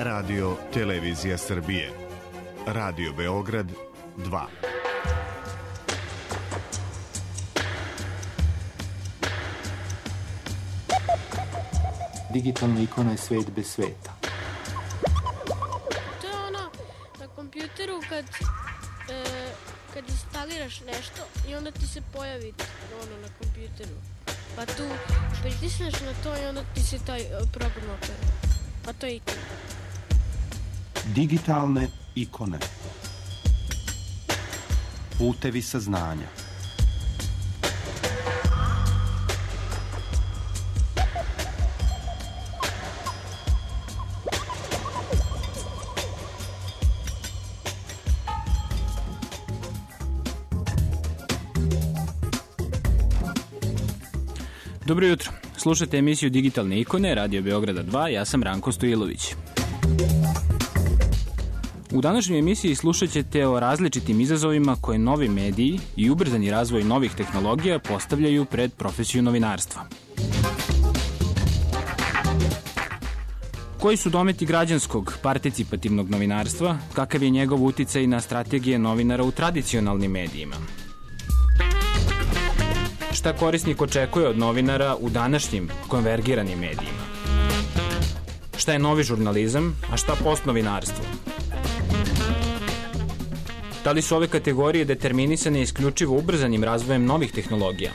Radio Televizija Srbije. Radio Beograd 2. Digitalna ikona je svet bez sveta. To je ono na kompjuteru kad instaliraš nešto i onda ti se pojavi ono na kompjuteru. Pa tu pritisneš na to i onda ti se taj program otvara. Pa to je ikona. Digitalne ikone. Putevi saznanja. Dobro jutro. Slušate emisiju Digitalne ikone, Radio Beograda 2, ja sam Ranko Stojilović. U današnjoj emisiji slušat ćete o različitim izazovima koje novi mediji i ubrzani razvoj novih tehnologija postavljaju pred profesiju novinarstva. Koji su dometi građanskog, participativnog novinarstva, kakav je njegov uticaj na strategije novinara u tradicionalnim medijima? Šta korisnik očekuje od novinara u današnjim konvergiranim medijima? Šta je novi žurnalizam, a šta postnovinarstvo? Da li su ove kategorije determinisane isključivo ubrzanim razvojem novih tehnologija?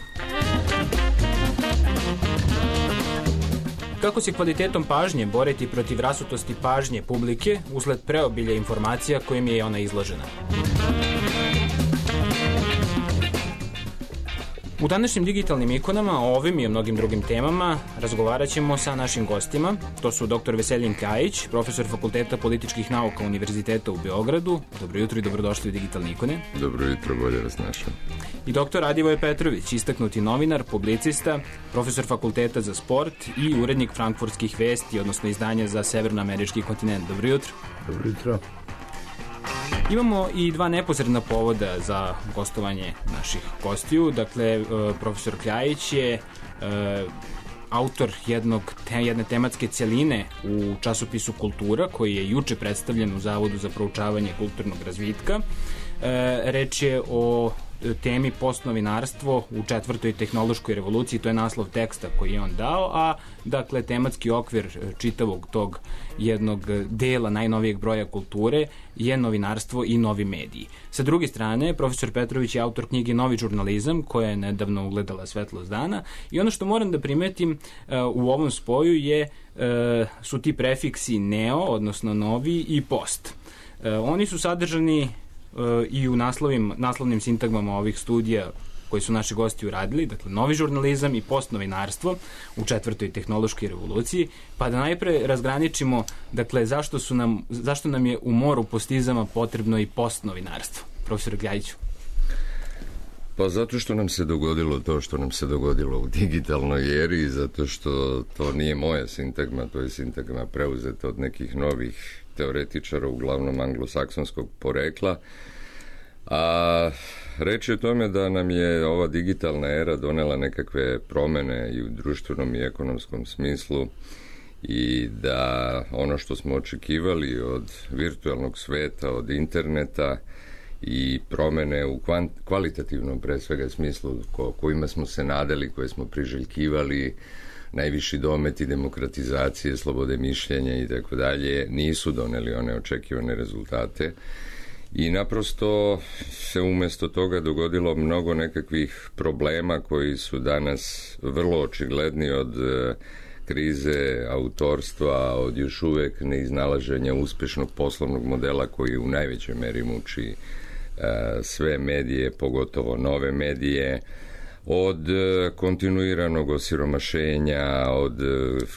Kako se kvalitetom pažnje boriti protiv rasutosti pažnje publike usled preobilja informacija kojim je ona izložena? U današnjim digitalnim ikonama o ovim i o mnogim drugim temama razgovarat ćemo sa našim gostima. To su dr. Veselin Kajić, profesor Fakulteta političkih nauka Univerziteta u Beogradu. Dobro jutro i dobrodošli u Digitalne ikone. Dobro jutro, bolje vas našao. I dr. Radivoje Petrović, istaknuti novinar, publicista, profesor Fakulteta za sport i urednik frankfurtskih vesti, odnosno izdanja za severnoamerički kontinent. Dobro jutro. Dobro jutro. Imamo i dva neposredna povoda za gostovanje naših gostiju. Dakle, profesor Kljajić je autor jedne tematske celine u časopisu Kultura, koji je juče predstavljen u Zavodu za proučavanje kulturnog razvitka. Reč je o temi postnovinarstvo u četvrtoj tehnološkoj revoluciji, to je naslov teksta koji je on dao, a dakle tematski okvir čitavog tog jednog dela najnovijeg broja Kulture je novinarstvo i novi mediji. Sa druge strane, profesor Petrović je autor knjige Novi žurnalizam, koja je nedavno ugledala svetlost dana, i ono što moram da primetim u ovom spoju su ti prefiksi neo, odnosno novi, i post. Oni su sadržani i u naslovnim sintagmama ovih studija koji su naši gosti uradili, dakle novi žurnalizam i postnovinarstvo u četvrtoj tehnološkoj revoluciji, pa da najpre razgraničimo, dakle, zašto nam je u moru postizama potrebno i postnovinarstvo. Profesor Kljajiću. Pa zato što nam se dogodilo to što nam se dogodilo u digitalnoj eri, zato što to nije moja sintagma, to je sintagma preuzeta od nekih novih teoretičara, uglavnom anglosaksonskog porekla, a reč je o tome da nam je ova digitalna era donela nekakve promene i u društvenom i ekonomskom smislu i da ono što smo očekivali od virtualnog sveta, od interneta i promene u kvalitativnom pre svega smislu kojima smo se nadali, koje smo priželjkivali, najviši dometi demokratizacije, slobode mišljenja i tako dalje, nisu doneli one očekivane rezultate i naprosto se umjesto toga dogodilo mnogo nekakvih problema koji su danas vrlo očigledni, od krize autorstva, od još uvek neiznalaženja uspešnog poslovnog modela koji u najvećoj meri muči sve medije, pogotovo nove medije, od kontinuiranog osiromašenja, od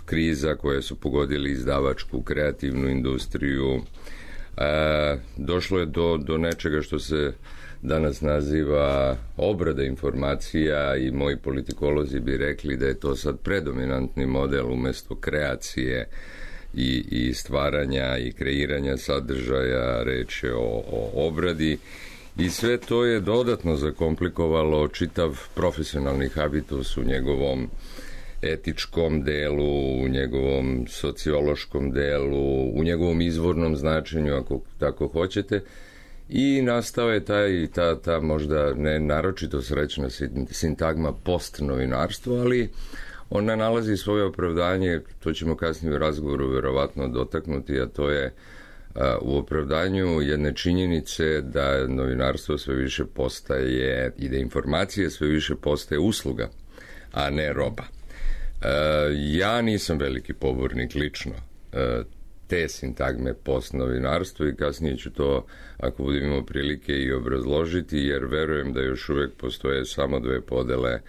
kriza koje su pogodili izdavačku, kreativnu industriju. Došlo je do nečega što se danas naziva obrada informacija i moji politikolozi bi rekli da je to sad predominantni model umesto kreacije i stvaranja i kreiranja sadržaja. Reč je o obradi. I sve to je dodatno zakomplikovalo čitav profesionalni habitus u njegovom etičkom delu, u njegovom sociološkom delu, u njegovom izvornom značenju, ako tako hoćete. I nastao je ta možda ne naročito srećna sintagma postnovinarstvo, ali ona nalazi svoje opravdanje, to ćemo kasnije u razgovoru verovatno dotaknuti, a to je u opravdanju jedne činjenice da novinarstvo sve više postaje i da informacije sve više postaje usluga, a ne roba. Ja nisam veliki pobornik lično te sintagme postnovinarstvo i kasnije ću to, ako budem imao prilike, i obrazložiti, jer verujem da još uvek postoje samo dve podele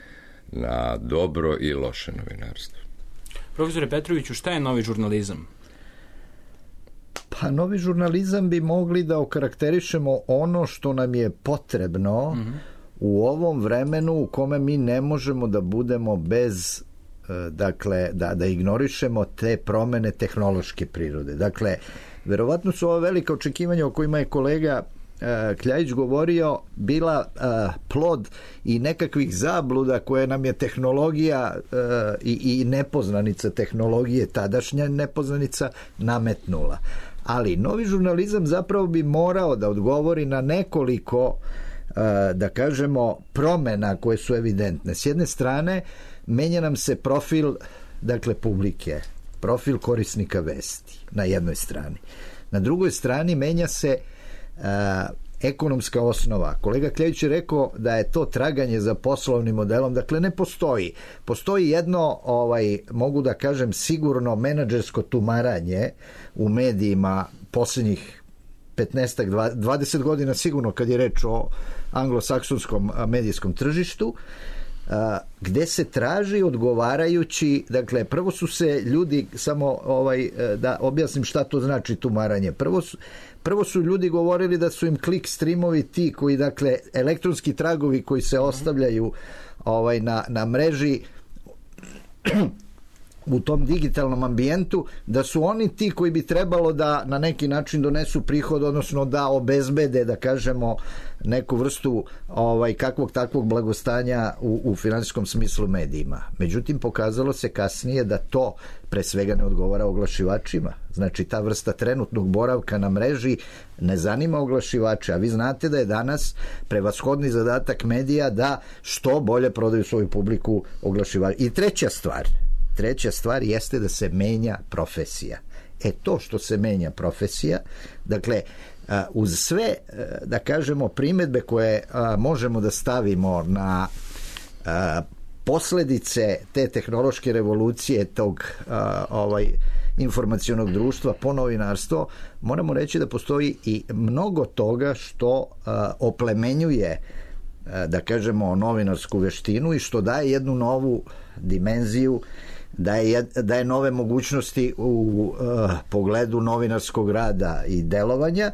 na dobro i loše novinarstvo. Profesore Petroviću, šta je novi žurnalizam? Pa novi žurnalizam bi mogli da okarakterišemo ono što nam je potrebno u ovom vremenu u kome mi ne možemo da budemo bez, dakle, da ignorišemo te promene tehnološke prirode. Dakle, verovatno su ova velika očekivanja o kojima je kolega Kljajić govorio bila plod i nekakvih zabluda koje nam je tehnologija i nepoznanica tehnologije, tadašnja nepoznanica, nametnula. Ali novi žurnalizam zapravo bi morao da odgovori na nekoliko, da kažemo, promena koje su evidentne. S jedne strane, menja nam se profil, dakle, publike, profil korisnika vesti na jednoj strani. Na drugoj strani menja se ekonomska osnova. Kolega Kljajić je rekao da je to traganje za poslovnim modelom, dakle ne postoji. Postoji jedno, mogu da kažem, sigurno menadžersko tumaranje u medijima posljednjih 15-20 godina sigurno kad je reč o anglosaksonskom medijskom tržištu, gde se traži odgovarajući, dakle prvo su se ljudi, samo da objasnim šta to znači tumaranje, prvo su ljudi govorili da su im klik streamovi ti koji, dakle, elektronski tragovi koji se ostavljaju na mreži u tom digitalnom ambijentu, da su oni ti koji bi trebalo da na neki način donesu prihod, odnosno da obezbede, da kažemo, neku vrstu kakvog takvog blagostanja u finansijskom smislu medijima. Međutim, pokazalo se kasnije da to pre svega ne odgovara oglašivačima. Znači, ta vrsta trenutnog boravka na mreži ne zanima oglašivače, a vi znate da je danas prevashodni zadatak medija da što bolje prodaju svoju publiku oglašivača. I treća stvar jeste da se menja profesija. To što se menja profesija, dakle, uz sve, da kažemo, primedbe koje možemo da stavimo na posledice te tehnološke revolucije, tog informacionog društva po novinarstvo, moramo reći da postoji i mnogo toga što oplemenjuje, da kažemo, novinarsku veštinu i što daje jednu novu dimenziju, daje nove mogućnosti u pogledu novinarskog rada i delovanja,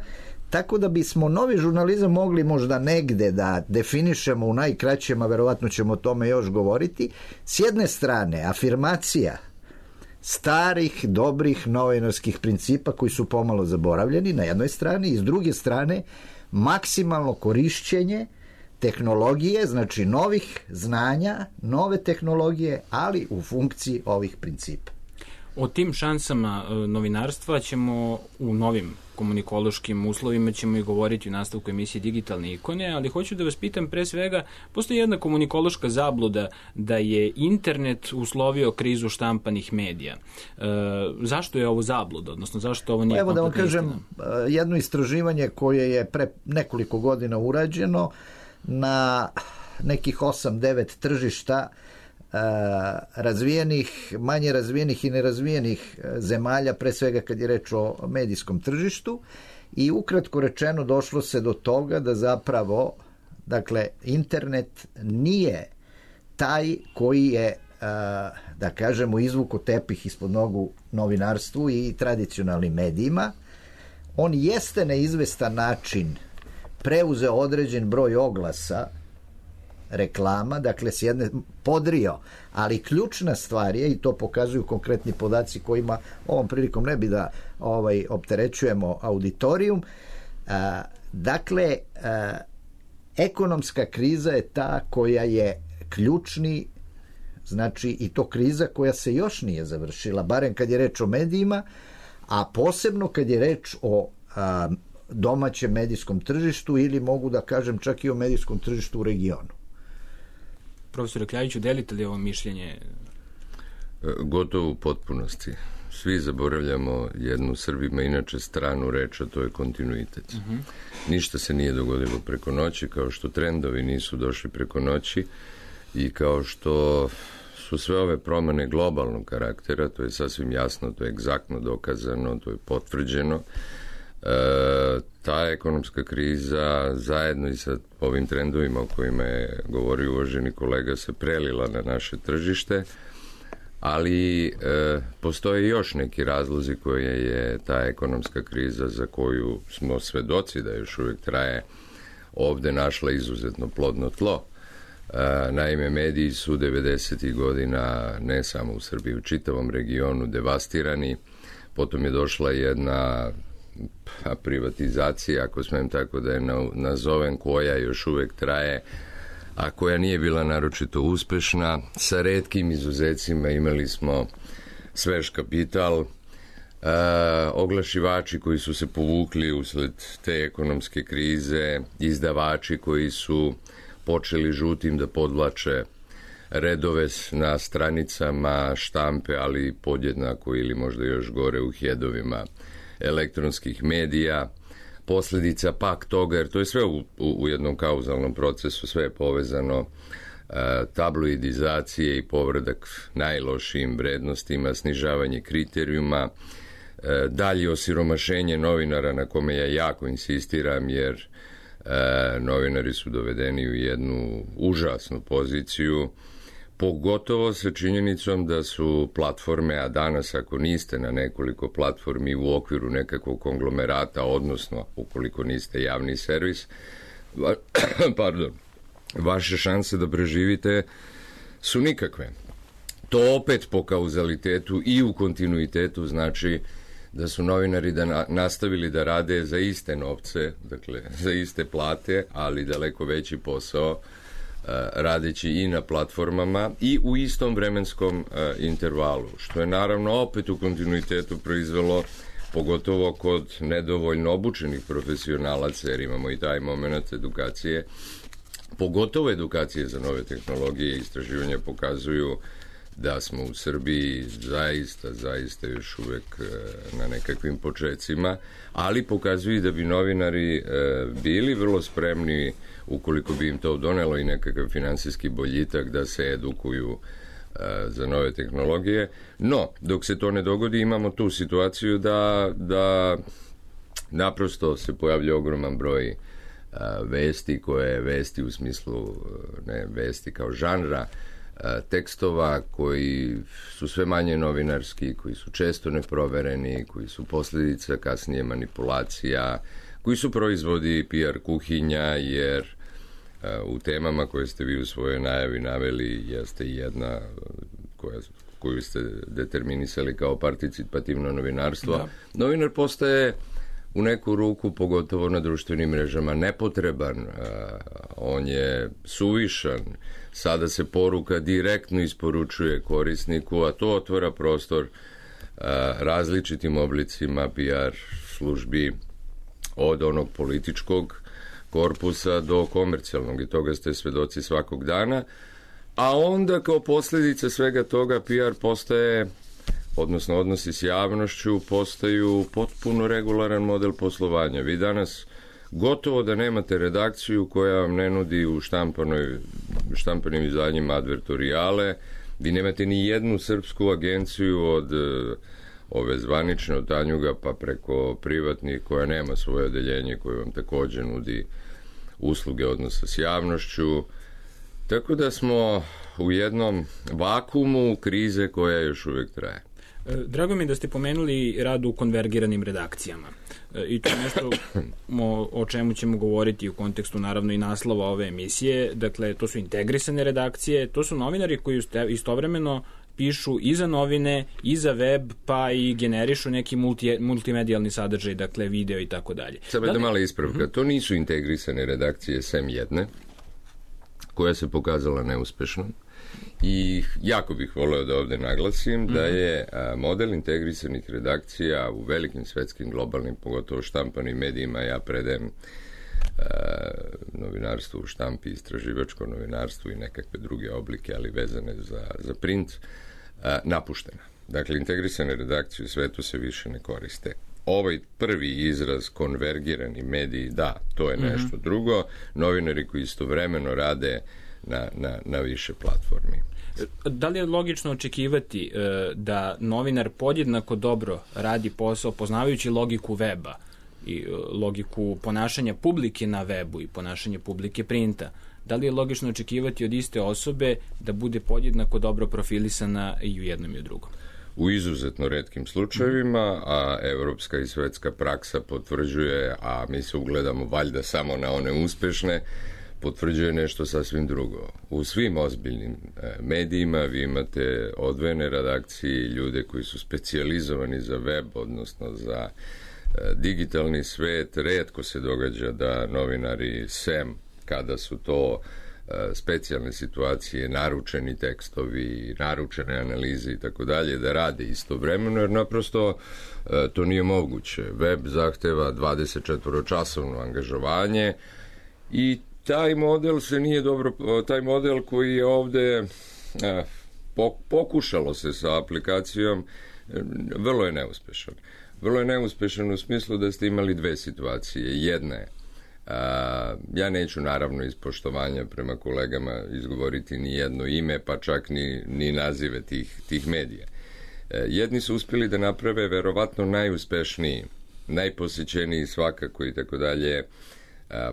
tako da bismo novi žurnalizam mogli možda negde da definišemo u najkraćem, a verovatno ćemo o tome još govoriti. S jedne strane, afirmacija starih, dobrih novinarskih principa koji su pomalo zaboravljeni na jednoj strani, i s druge strane maksimalno korišćenje tehnologije, znači novih znanja, nove tehnologije, ali u funkciji ovih principa. O tim šansama novinarstva ćemo u novim komunikološkim uslovima ćemo i govoriti u nastavku emisije Digitalne ikone, ali hoću da vas pitam pre svega, postoji jedna komunikološka zabluda da je internet uslovio krizu štampanih medija. Zašto je ovo zabluda, odnosno zašto ovo nije kompletna istina? Evo da vam kažem, jedno istraživanje koje je pre nekoliko godina urađeno na nekih 8-9 tržišta razvijenih, manje razvijenih i nerazvijenih zemalja, pre svega kad je reč o medijskom tržištu, i ukratko rečeno došlo se do toga da zapravo, dakle, internet nije taj koji je, da kažemo, izvuko tepih ispod nogu novinarstvu i tradicionalnim medijima. On jeste na izvestan način preuzeo određen broj oglasa, reklama, dakle s jedne podrio, ali ključna stvar je, i to pokazuju konkretni podaci kojima ovom prilikom ne bi da opterećujemo auditorijum, dakle ekonomska kriza je ta koja je ključni znači i to kriza koja se još nije završila, barem kad je reč o medijima, a posebno kad je reč o domaćem medijskom tržištu ili mogu da kažem čak i o medijskom tržištu u regionu. Profesore Kljajiću, delite li ovo mišljenje? Gotovo u potpunosti. Svi zaboravljamo jednu Srbima inače stranu reč, a to je kontinuitet. Ništa se nije dogodilo preko noći, kao što trendovi nisu došli preko noći i kao što su sve ove promene globalnog karaktera, to je sasvim jasno, to je egzaktno dokazano, to je potvrđeno. Ta ekonomska kriza zajedno i sa ovim trendovima o kojima je govorio uvaženi kolega se prelila na naše tržište, ali postoje još neki razlozi koje je ta ekonomska kriza za koju smo svedoci da još uvijek traje ovde našla izuzetno plodno tlo. Naime, mediji su 90. godina ne samo u Srbiji, u čitavom regionu devastirani, potom je došla jedna privatizacija, ako smem tako da je nazovem, koja još uvijek traje, a koja nije bila naročito uspešna. Sa retkim izuzecima imali smo svež kapital, oglašivači koji su se povukli usled te ekonomske krize, izdavači koji su počeli žutim da podvlače redove na stranicama štampe, ali podjednako ili možda još gore u hedovima elektronskih medija, posljedica pak toga, jer to je sve u jednom kauzalnom procesu, sve je povezano, tabloidizacije i povradak najlošijim vrednostima, snižavanje kriterijuma, dalje osiromašenje novinara na kome ja jako insistiram, jer novinari su dovedeni u jednu užasnu poziciju, pogotovo sa činjenicom da su platforme, a danas ako niste na nekoliko platformi u okviru nekakvog konglomerata, odnosno ukoliko niste javni servis, vaše šanse da preživite su nikakve. To opet po kauzalitetu i u kontinuitetu znači da su novinari nastavili da rade za iste novce, dakle za iste plate, ali daleko veći posao, radeći i na platformama i u istom vremenskom intervalu, što je naravno opet u kontinuitetu proizvelo, pogotovo kod nedovoljno obučenih profesionalaca, jer imamo i taj moment edukacije, pogotovo edukacije za nove tehnologije i istraživanja pokazuju da smo u Srbiji zaista još uvek na nekakvim počecima, ali pokazuju da bi novinari bili vrlo spremni, ukoliko bi im to donelo i nekakav finansijski boljitak, da se edukuju za nove tehnologije. No, dok se to ne dogodi, imamo tu situaciju da naprosto se pojavlja ogroman broj vesti, koje vesti u smislu, ne vesti kao žanra, tekstova koji su sve manje novinarski, koji su često neprovereni, koji su posljedica kasnije manipulacija, koji su proizvodi PR kuhinja, jer u temama koje ste vi u svojoj najavi naveli jeste i jedna koju ste determinisali kao participativno novinarstvo. Da. Novinar postaje u neku ruku, pogotovo na društvenim mrežama, nepotreban, on je suvišan, sada se poruka direktno isporučuje korisniku, a to otvara prostor različitim oblicima PR službi, od onog političkog korpusa do komercijalnog, i toga ste svedoci svakog dana, a onda kao posljedica svega toga PR postaje, odnosno odnosi s javnošću, postaju potpuno regularan model poslovanja. Vi danas gotovo da nemate redakciju koja vam ne nudi u štampanim izdanjima advertorijale, vi nemate ni jednu srpsku agenciju od ove zvanične od Tanjuga pa preko privatnih koja nema svoje odeljenje koje vam također nudi usluge odnosa s javnošću. Tako da smo u jednom vakuumu krize koja još uvijek traje. Drago mi je da ste pomenuli rad u konvergiranim redakcijama. I to je nešto o čemu ćemo govoriti u kontekstu naravno i naslova ove emisije. Dakle, to su integrisane redakcije, to su novinari koji istovremeno pišu i za novine, i za web, pa i generišu neki multimedijalni sadržaj, dakle video i tako dalje. Samo jedna mala ispravka. To nisu integrisane redakcije sem jedne, koja se pokazala neuspešnom. I jako bih voleo da ovde naglasim da je model integrisanih redakcija u velikim svetskim, globalnim, pogotovo štampanim medijima, ja predajem novinarstvo u štampi, istraživačko novinarstvo i nekakve druge oblike, ali vezane za print, napuštena. Dakle, integrisane redakcije u svetu se više ne koriste. Ovaj prvi izraz, konvergirani mediji, da, to je nešto drugo. Novinari koji istovremeno rade na više platformi. Da li je logično očekivati da novinar podjednako dobro radi posao poznavajući logiku weba i logiku ponašanja publike na webu i ponašanje publike printa? Da li je logično očekivati od iste osobe da bude podjednako dobro profilisana i u jednom i u drugom? U izuzetno retkim slučajevima, a evropska i svetska praksa potvrđuje, a mi se ugledamo valjda samo na one uspešne, potvrđuje nešto sasvim drugo. U svim ozbiljnim medijima vi imate odvojene redakcije, ljude koji su specijalizovani za web, odnosno za digitalni svet. Retko se događa da novinari, sem kada su to specijalne situacije, naručeni tekstovi, naručene analize i tako dalje, da rade istovremeno, jer naprosto to nije moguće. Web zahteva 24-časovno angažovanje i taj model se nije dobro, taj model koji je ovde pokušalo se sa aplikacijom, vrlo je neuspešan. Vrlo je neuspešan u smislu da ste imali dve situacije. Jedna je, ja neću naravno iz poštovanja prema kolegama izgovoriti ni jedno ime, pa čak ni nazive tih medija. Jedni su uspjeli da naprave verovatno najuspešniji, najposećeniji svakako i tako dalje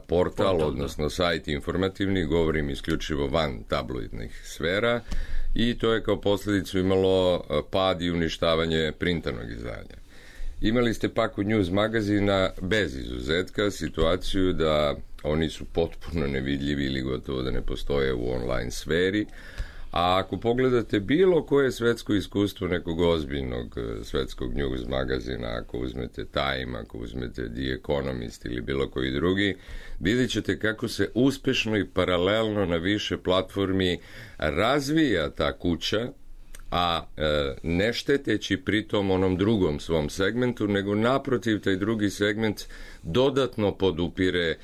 portal, odnosno sajt informativni, govorim isključivo van tabloidnih sfera, i to je kao posljedicu imalo pad i uništavanje printanog izdanja. Imali ste pak u News magazina bez izuzetka situaciju da oni su potpuno nevidljivi ili gotovo da ne postoje u online sferi, a ako pogledate bilo koje svetsko iskustvo nekog ozbiljnog svetskog news magazina, ako uzmete Time, ako uzmete The Economist ili bilo koji drugi, vidjet ćete kako se uspešno i paralelno na više platformi razvija ta kuća, a ne šteteći pritom onom drugom svom segmentu, nego naprotiv taj drugi segment dodatno podupire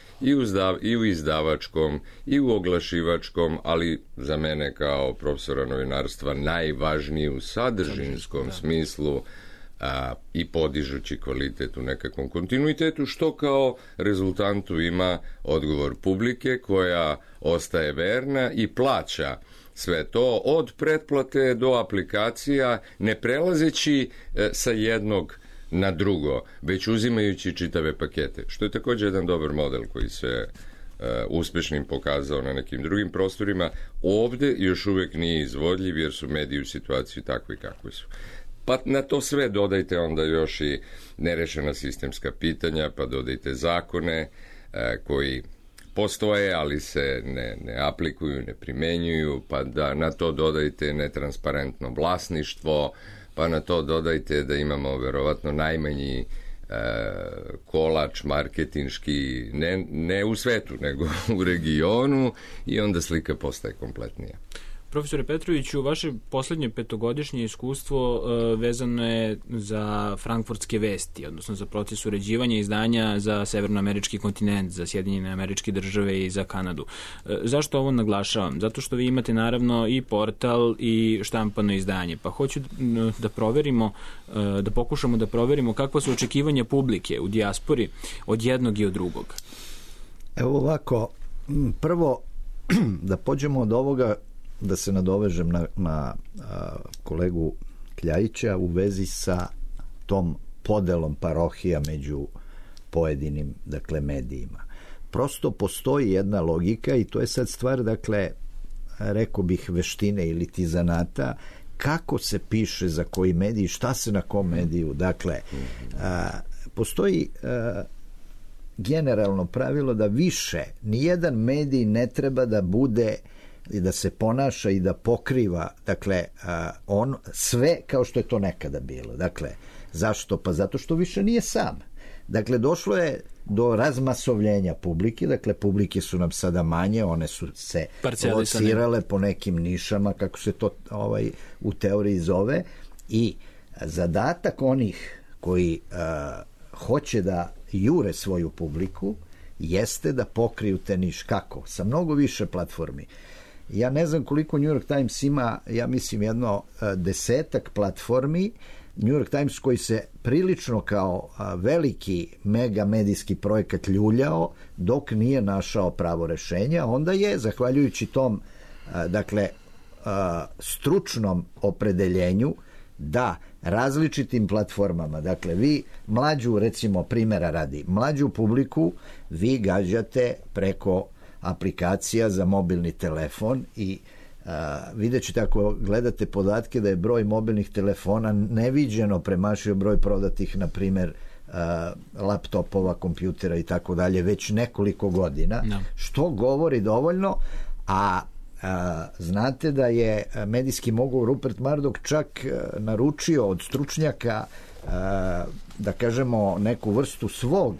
i u izdavačkom i u oglašivačkom, ali za mene kao profesora novinarstva najvažnije u sadržinskom smislu, i podižući kvalitet u nekakvom kontinuitetu, što kao rezultantu ima odgovor publike koja ostaje verna i plaća sve to od pretplate do aplikacija, ne prelazeći sa jednog na drugo, već uzimajući čitave pakete, što je također jedan dobar model koji se uspešnim pokazao na nekim drugim prostorima. Ovde još uvek nije izvodljiv jer su mediji u situaciji takvi kakvi su. Pa na to sve dodajte onda još i nerešena sistemska pitanja, pa dodajte zakone koji postoje, ali se ne aplikuju, ne primenjuju, pa da na to dodajte netransparentno vlasništvo, pa na to dodajte da imamo verovatno najmanji kolač marketinški, ne u svetu, nego u regionu, i onda slika postaje kompletnija. Profesore Petroviću, vaše poslednje petogodišnje iskustvo vezano je za frankfurtske vesti, odnosno za proces uređivanja izdanja za severnoamerički kontinent, za Sjedinjene Američke Države i za Kanadu. Zašto ovo naglašavam? Zato što vi imate naravno i portal i štampano izdanje, pa hoću da proverimo, da pokušamo da proverimo kakva su očekivanja publike u dijaspori od jednog i od drugog. Evo ovako, prvo da pođemo od ovoga, da se nadovežem na kolegu Kljajića u vezi sa tom podelom parohija među pojedinim, dakle, medijima. Prosto postoji jedna logika i to je sad stvar, dakle, rekao bih, veštine ili ti zanata, kako se piše za koji medij, šta se na kom mediju. Dakle, postoji generalno pravilo da više nijedan medij ne treba da bude i da se ponaša i da pokriva, dakle, sve kao što je to nekada bilo. Dakle, zašto? Pa zato što više nije sam. Dakle, došlo je do razmasovljenja publike, dakle publike su nam sada manje, one su se locirale po nekim nišama, kako se to u teoriji zove, i zadatak onih koji hoće da jure svoju publiku jeste da pokriju te niš. Kako? Sa mnogo više platformi. Ja ne znam koliko New York Times ima, ja mislim jedno 10 platformi. New York Times koji se prilično kao veliki mega medijski projekat ljuljao dok nije našao pravo rešenje, onda je, zahvaljujući tom stručnom opredeljenju da različitim platformama, dakle vi mlađu, recimo primjera radi, mlađu publiku vi gađate preko aplikacija za mobilni telefon i vidjet ćete ako gledate podatke da je broj mobilnih telefona neviđeno premašio broj prodatih, na primjer laptopova, kompjutera i tako dalje, već nekoliko godina, što govori dovoljno, a znate da je medijski mogul Rupert Murdoch čak naručio od stručnjaka da kažemo neku vrstu svog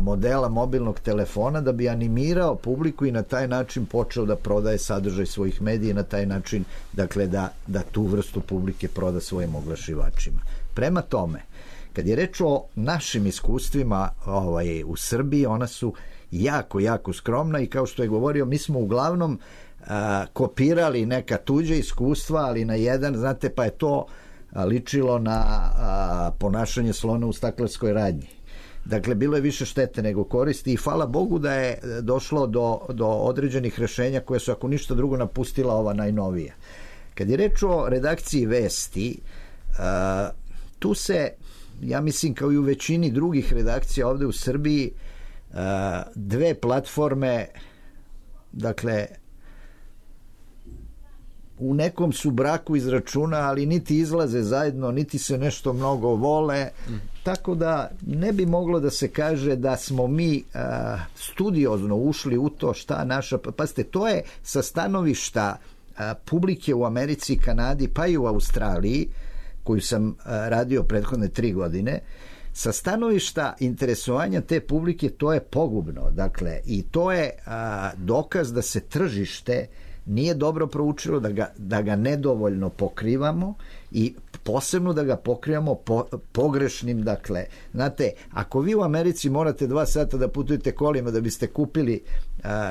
modela mobilnog telefona da bi animirao publiku i na taj način počeo da prodaje sadržaj svojih medija i na taj način, dakle, da tu vrstu publike proda svojim oglašivačima. Prema tome, kad je reč o našim iskustvima u Srbiji, ona su jako, jako skromna i kao što je govorio, mi smo uglavnom kopirali neka tuđa iskustva, ali na jedan, znate, pa je to ličilo na ponašanje slona u staklarskoj radnji. Dakle, bilo je više štete nego koristi i hvala Bogu da je došlo do određenih rešenja koje su, ako ništa drugo, napustila ova najnovija. Kad je reč o redakciji vesti, tu se, ja mislim kao i u većini drugih redakcija ovde u Srbiji, dve platforme, dakle, u nekom su braku iz računa, ali niti izlaze zajedno, niti se nešto mnogo vole, tako da ne bi moglo da se kaže da smo mi studiozno ušli u to šta naša, pazite, to je sa stanovišta publike u Americi, Kanadi, pa i u Australiji, koju sam radio prethodne 3 godine, sa stanovišta interesovanja te publike to je pogubno, dakle, i to je dokaz da se tržište nije dobro proučilo, da ga nedovoljno pokrivamo i posebno da ga pokrivamo pogrešnim, dakle, znate, ako vi u Americi morate 2 sata da putujete kolima da biste kupili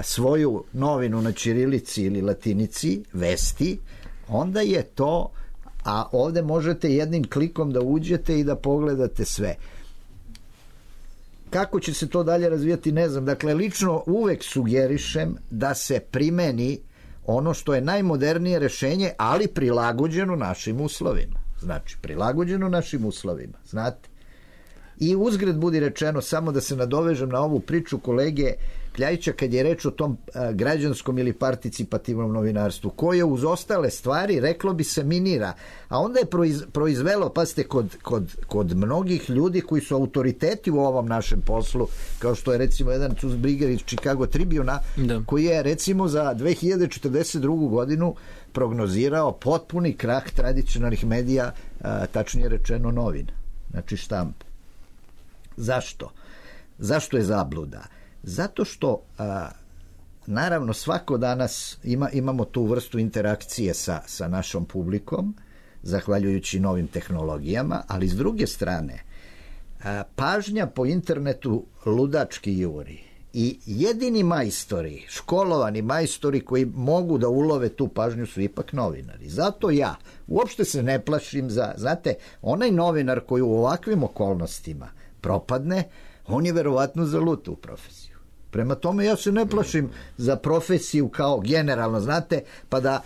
svoju novinu na ćirilici ili latinici, vesti, onda je to, a ovde možete jednim klikom da uđete i da pogledate sve. Kako će se to dalje razvijati, ne znam. Dakle, lično uvek sugerišem da se primeni ono što je najmodernije rešenje, ali prilagođeno našim uslovima. Znači, prilagođeno našim uslovima, znate. I uzgred budi rečeno, samo da se nadovežem na ovu priču kolege Kljajića kad je reč o tom građanskom ili participativnom novinarstvu, koje uz ostale stvari, reklo bi se, minira. A onda je proizvelo, pazite, kod mnogih ljudi koji su autoriteti u ovom našem poslu, kao što je recimo jedan Cusbriger iz Chicago Tribuna, koji je recimo za 2042. godinu prognozirao potpuni krah tradicionalnih medija, tačnije rečeno novina, znači štampa. Zašto? Zašto je zabluda? Zato što naravno svako danas imamo tu vrstu interakcije sa našom publikom, zahvaljujući novim tehnologijama, ali s druge strane pažnja po internetu ludački juri i jedini majstori, školovani majstori koji mogu da ulove tu pažnju su ipak novinari. Zato ja uopšte se ne plašim znate, onaj novinar koji u ovakvim okolnostima propadne, on je verovatno zalud u profesiju. Prema tome ja se ne plašim za profesiju kao generalno, znate, pa da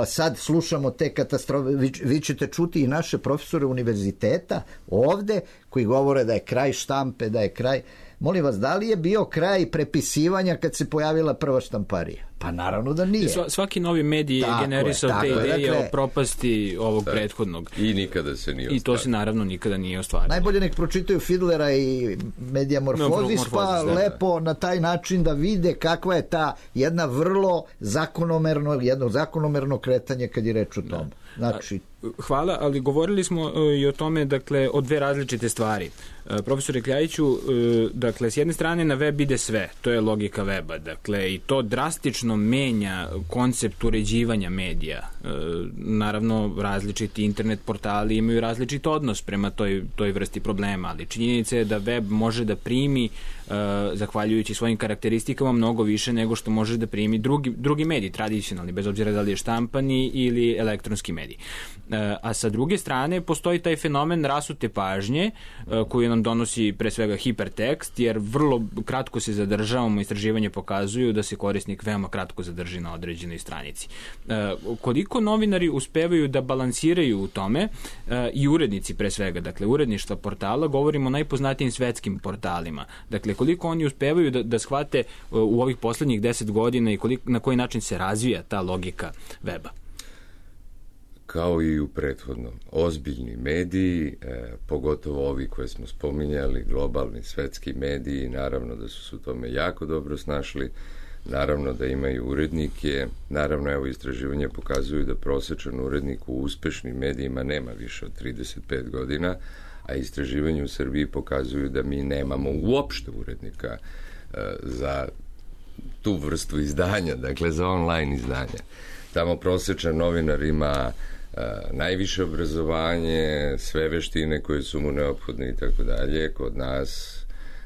sad slušamo te katastrofe, vi ćete čuti i naše profesore univerziteta ovde koji govore da je kraj štampe, da je kraj. Molim vas, da li je bio kraj prepisivanja kad se pojavila prva štamparija? Pa naravno da nije. Svaki novi medij je generisao te ideje o propasti ovog prethodnog. I nikada se nije ostvario. I to se naravno nikada nije ostvario. Najbolje nek pročitaju Fidlera i Mediamorfozis, pa lepo na taj način da vide kakva je ta jedna vrlo zakonomerno kretanje kad je reč o tom. Znači, Hvala, ali govorili smo i o tome, dakle, o dve različite stvari. Profesore Kljajiću, dakle, s jedne strane na web ide sve, to je logika weba, dakle, i to drastično menja koncept uređivanja medija. Naravno, različiti internet portali imaju različit odnos prema toj vrsti problema, ali činjenica je da web može da primi, zahvaljujući svojim karakteristikama, mnogo više nego što može da primi drugi mediji, tradicionalni, bez obzira da li je štampani ili elektronski medij. A sa druge strane postoji taj fenomen rasute pažnje koji nam donosi pre svega hipertekst, jer vrlo kratko se zadržavamo, istraživanje pokazuju da se korisnik veoma kratko zadrži na određenoj stranici. Koliko novinari uspevaju da balansiraju u tome, i urednici pre svega, dakle uredništva portala, govorimo o najpoznatijim svetskim portalima, dakle koliko oni uspevaju da shvate u ovih poslednjih 10 godina i na koji način se razvija ta logika weba? Kao i u prethodnom, ozbiljni mediji, pogotovo ovi koje smo spominjali, globalni svetski mediji, naravno da su se u tome jako dobro snašli, naravno da imaju urednike, naravno evo istraživanje pokazuju da prosečan urednik u uspešnim medijima nema više od 35 godina, a istraživanje u Srbiji pokazuju da mi nemamo uopšte urednika za tu vrstu izdanja, dakle za online izdanja. Tamo prosečan novinar ima najviše obrazovanje, sve veštine koje su mu neophodne i tako dalje. Kod nas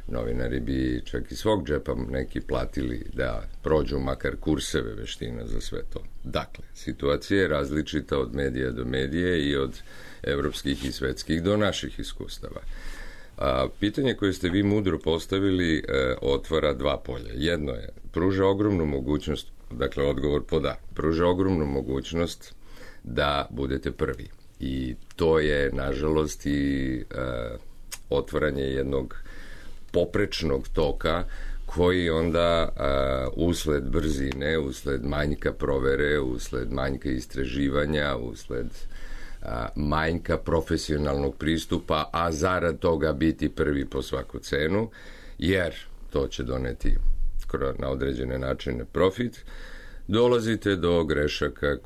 novinari bi čak i svog džepa neki platili da prođu makar kurseve veština za sve to. Dakle, situacija je različita od medija do medije i od evropskih i svetskih do naših iskustava. Pitanje koje ste vi mudro postavili otvara dva polja. Jedno je, pruža ogromnu mogućnost, dakle odgovor po da, pruža ogromnu mogućnost da budete prvi. I to je, nažalost, i otvaranje jednog poprečnog toka koji onda usled brzine, usled manjka provere, usled manjka istraživanja, usled manjka profesionalnog pristupa, a zarad toga biti prvi po svaku cenu, jer to će doneti na određene načine profit, dolazite do grešaka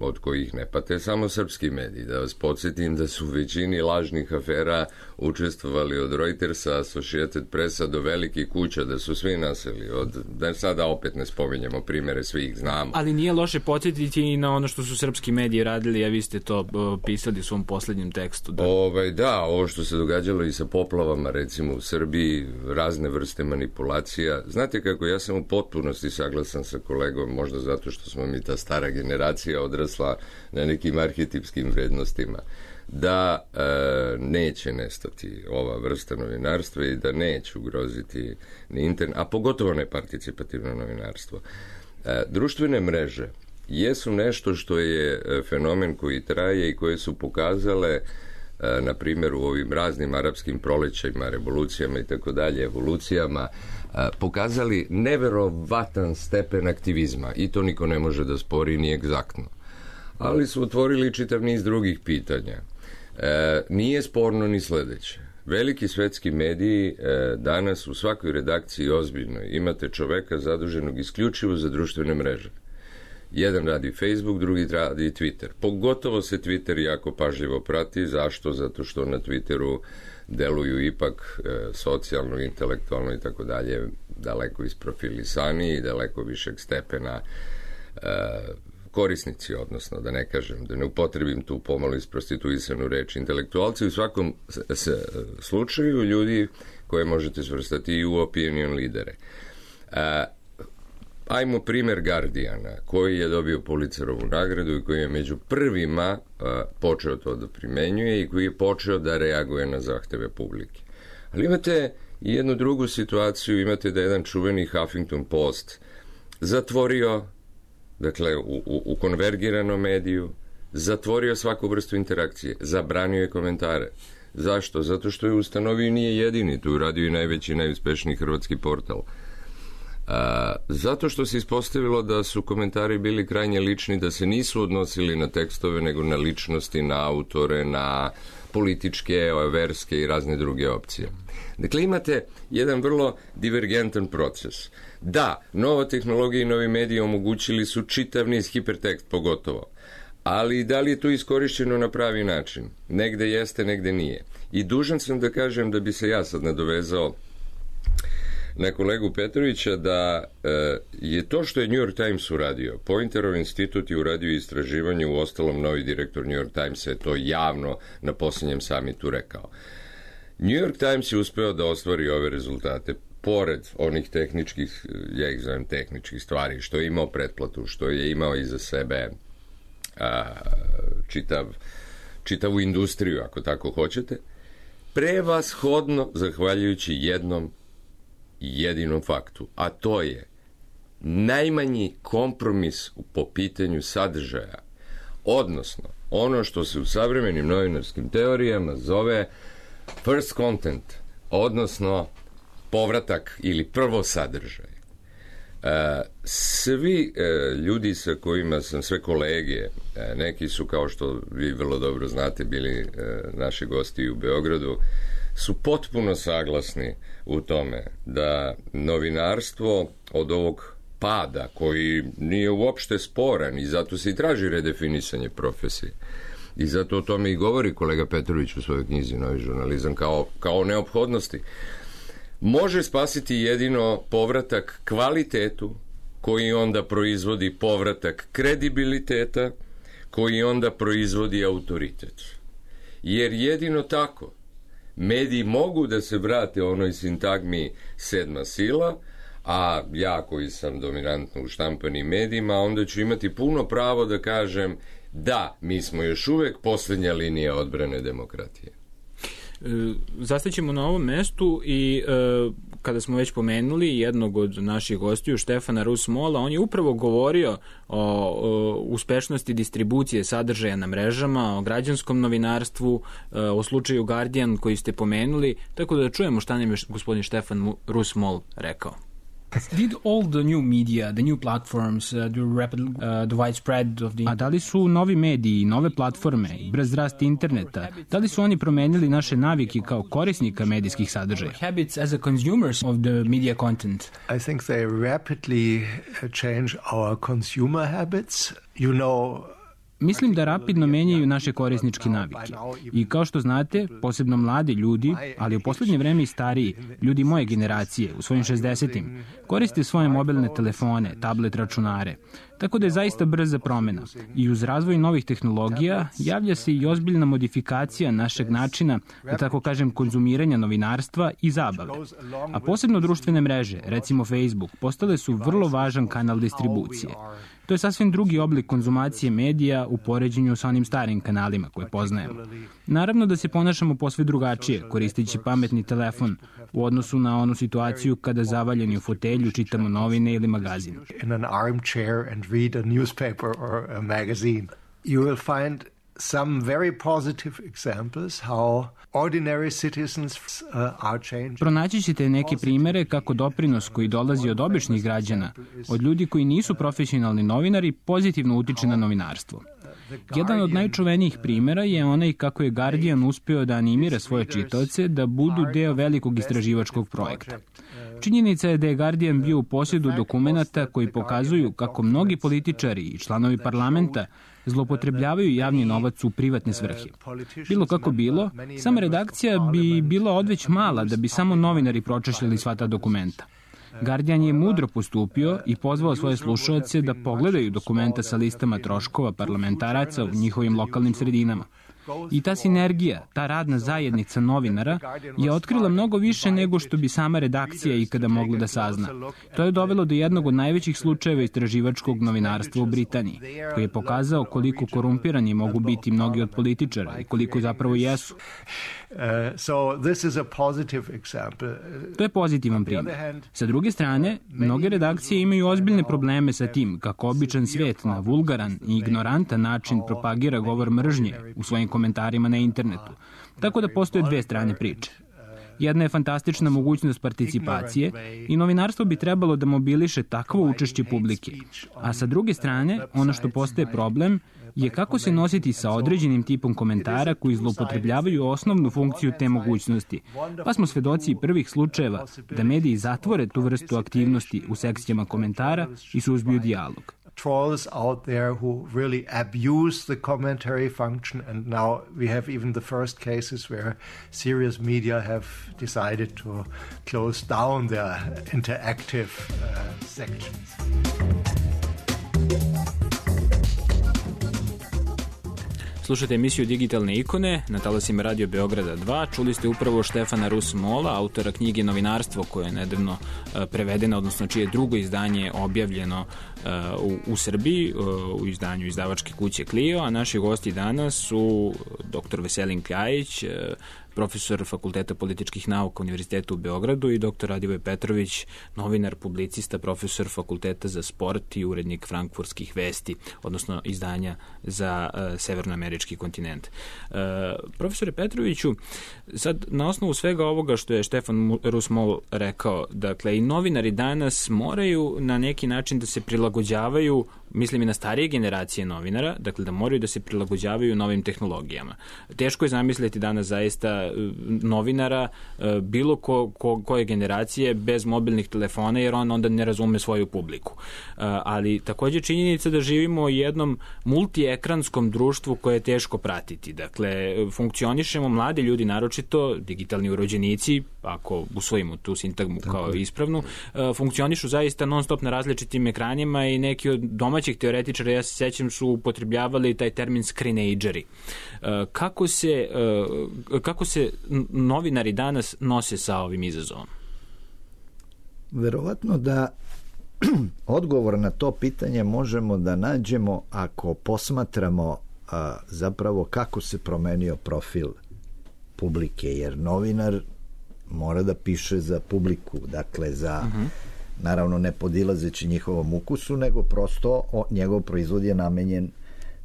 od kojih ne pate samo srpski mediji. Da vas podsjetim da su u većini lažnih afera učestvovali od Reutersa, Associated Pressa do velikih kuća, da su svi naseli. Da sada opet ne spominjemo primere, svi ih znamo. Ali nije loše podsjetiti i na ono što su srpski mediji radili, a vi ste to pisali u svom poslednjem tekstu. Da, ovo što se događalo i sa poplavama, recimo u Srbiji, razne vrste manipulacija. Znate kako, ja sam u potpunosti saglasan sa kolegom, možda zato što smo mi ta stara generacija odrasla na nekim arhetipskim vrednostima, da neće nestati ova vrsta novinarstva i da neće ugroziti ni internet, a pogotovo ne participativno novinarstvo. Društvene mreže jesu nešto što je fenomen koji traje i koje su pokazale, na primjer, u ovim raznim arapskim prolećajima, revolucijama i tako dalje, evolucijama, pokazali neverovatan stepen aktivizma i to niko ne može da spori ni egzaktno. Ali su otvorili čitav niz drugih pitanja. Nije sporno ni sledeće. Veliki svetski mediji danas u svakoj redakciji ozbiljno imate čoveka zaduženog isključivo za društvene mreže. Jedan radi Facebook, drugi radi Twitter. Pogotovo se Twitter jako pažljivo prati. Zašto? Zato što na Twitteru deluju ipak socijalno, intelektualno i tako dalje daleko isprofilisani i daleko višeg stepena korisnici, odnosno da ne kažem, da ne upotrebim tu pomalo isprostituisanu reč. Intelektualci u svakom slučaju ljudi koje možete svrstati i u opinion lidere. Ajmo primer Guardiana, koji je dobio Pulitzerovu nagradu i koji je među prvima počeo to da primenjuje i koji je počeo da reaguje na zahteve publike. Ali imate i jednu drugu situaciju, imate da jedan čuveni Huffington Post zatvorio, dakle u konvergiranom mediju, zatvorio svaku vrstu interakcije, zabranio je komentare. Zašto? Zato što je ustanovio, nije jedini, tu radio i najveći i najuspešniji hrvatski portal. Zato što se ispostavilo da su komentari bili krajnje lični, da se nisu odnosili na tekstove, nego na ličnosti, na autore, na političke, verske i razne druge opcije. Dakle, imate jedan vrlo divergentan proces. Da, nova tehnologija i novi mediji omogućili su čitav niz hipertekst pogotovo, ali da li je to iskorišćeno na pravi način? Negde jeste, negde nije. I dužan sam da kažem da bi se ja sad nadovezao na kolegu Petrovića da je to što je New York Times uradio. Pointerov institut je uradio istraživanje, u ostalom novi direktor New York Timesa je to javno na posljednjem samitu rekao. New York Times je uspeo da ostvari ove rezultate pored onih tehničkih, ja ih zovem tehničkih stvari, što je imao pretplatu, što je imao iza sebe čitavu industriju, ako tako hoćete, prevashodno zahvaljujući jednom jedinom faktu, a to je najmanji kompromis po pitanju sadržaja, odnosno ono što se u savremenim novinarskim teorijama zove first content, odnosno povratak ili prvo sadržaj. Svi ljudi sa kojima sam, sve kolege, neki su, kao što vi vrlo dobro znate, bili naši gosti u Beogradu, su potpuno saglasni u tome da novinarstvo od ovog pada, koji nije uopšte sporan i zato se i traži redefinisanje profesije. I zato o tome i govori kolega Petrović u svojoj knjizi Novi žurnalizam kao neophodnosti. Može spasiti jedino povratak kvalitetu, koji onda proizvodi povratak kredibiliteta, koji onda proizvodi autoritet. Jer jedino tako mediji mogu da se vrate onoj sintagmi sedma sila, a ja koji sam dominantno u štampanim medijima, onda ću imati puno pravo da kažem da, mi smo još uvek poslednja linija odbrane demokratije. Zastaćemo na ovom mestu i kada smo već pomenuli jednog od naših gostiju, Štefana Rus-Mola, on je upravo govorio o uspešnosti distribucije sadržaja na mrežama, o građanskom novinarstvu, o slučaju Guardian koji ste pomenuli, tako da čujemo šta nam je gospodin Štefan Rus-Mol rekao. Did all the new media, the new platforms, the widespread of the... A da li su novi mediji, nove platforme, brz rast interneta, da li su oni promenili naše navike kao korisnika medijskih sadržaja? Habits as a consumers of the media content. I think they rapidly change our consumer habits. You know, Mislim da rapidno menjaju naše korisničke navike. I kao što znate, posebno mladi ljudi, ali u poslednje vreme i stariji, ljudi moje generacije, u svojim 60-im, koriste svoje mobilne telefone, tablet računare. Tako da je zaista brza promena. I uz razvoj novih tehnologija javlja se i ozbiljna modifikacija našeg načina, da tako kažem, konzumiranja novinarstva i zabave. A posebno društvene mreže, recimo Facebook, postale su vrlo važan kanal distribucije. To je sasvim drugi oblik konzumacije medija u poređenju sa onim starim kanalima koje poznajemo. Naravno da se ponašamo posve drugačije, koristeći pametni telefon, u odnosu na onu situaciju kada zavaljeni u fotelju čitamo novine ili magazin. In an armchair and read a newspaper or a magazine. You will find some very positive examples how ordinary citizens are changing. Pronaći ćete neke primere kako doprinos koji dolazi od običnih građana, od ljudi koji nisu profesionalni novinari, pozitivno utiče na novinarstvo. Jedan od najčuvenijih primera je onaj kako je Guardian uspeo da animira svoje čitaoce da budu deo velikog istraživačkog projekta. Činjenica je da je Guardian bio u posjedu dokumenata koji pokazuju kako mnogi političari i članovi parlamenta zloupotrebljavaju javni novac u privatne svrhe. Bilo kako bilo, sama redakcija bi bila odveć mala da bi samo novinari pročešljali sva ta dokumenta. Guardian je mudro postupio i pozvao svoje slušaoce da pogledaju dokumenta sa listama troškova parlamentaraca u njihovim lokalnim sredinama. I ta sinergija, ta radna zajednica novinara je otkrila mnogo više nego što bi sama redakcija ikada mogla da sazna. To je dovelo do jednog od najvećih slučajeva istraživačkog novinarstva u Britaniji, koji je pokazao koliko korumpirani mogu biti mnogi od političara i koliko zapravo jesu. To je pozitivan primjer. Sa druge strane, mnoge redakcije imaju ozbiljne probleme sa tim kako običan svijet na vulgaran i ignorantan način propagira govor mržnje u svojim komentarima na internetu. Tako da postoje dve strane priče. Jedna je fantastična mogućnost participacije i novinarstvo bi trebalo da mobiliše takvo učešće publike. A sa druge strane, ono što postaje problem je kako se nositi sa određenim tipom komentara koji zloupotrebljavaju osnovnu funkciju te mogućnosti. Pa smo svedoci prvih slučajeva da mediji zatvore tu vrstu aktivnosti u sekcijama komentara i suzbiju dijalog. trolls out there who really abuse the commentary function, and now we have even the first cases where serious media have decided to close down their interactive sections. Slušajte emisiju Digitalne ikone na talasima Radio Beograda 2. Čuli ste upravo Štefana Rus-Mola, autora knjige Novinarstvo, koja je nedavno prevedena, odnosno čije drugo izdanje objavljeno u Srbiji, u izdanju izdavačke kuće Clio, a naši gosti danas su dr. Veselin Kljajić, profesor Fakulteta političkih nauka Univerziteta u Beogradu, i dr. Radivoj Petrović, novinar, publicista, profesor Fakulteta za sport i urednik Frankfurtskih vesti, odnosno izdanja za severnoamerički kontinent. Profesore Petroviću, sad na osnovu svega ovoga što je Štefan Rus-Mol rekao, dakle i novinari danas moraju na neki način da se prilagođavaju, mislim i na starije generacije novinara, dakle da moraju da se prilagođavaju novim tehnologijama. Teško je zamisliti danas zaista novinara bilo koje generacije bez mobilnih telefona, jer on onda ne razume svoju publiku. Ali takođe činjenica da živimo u jednom multiekranskom društvu koje je teško pratiti. Dakle, funkcionišemo, mladi ljudi naročito, digitalni urođenici, ako usvojimo tu sintagmu kao ispravnu, funkcionišu zaista non stop na različitim ekranima i neki od domaćih teoretičara, ja se sećam, su upotrebljavali taj termin screenageri. Kako se novinari danas nose sa ovim izazovom? Verovatno da odgovor na to pitanje možemo da nađemo ako posmatramo zapravo kako se promenio profil publike, jer novinar mora da piše za publiku, dakle za naravno ne podilazeći njihovom ukusu, nego prosto njegov proizvod je namenjen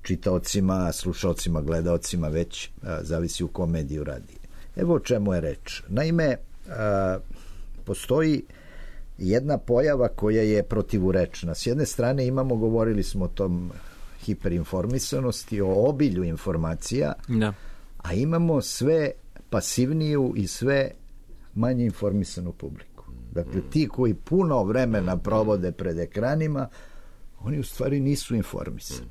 čitaocima, slušaocima, gledaocima, već zavisi u kom mediju radi. Evo o čemu je reč. Naime, postoji jedna pojava koja je protivurečna. S jedne strane imamo, govorili smo o tom hiperinformisanosti, o obilju informacija, a imamo sve pasivniju i sve manje informisanu publiku. Dakle, ti koji puno vremena provode pred ekranima, oni u stvari nisu informisani.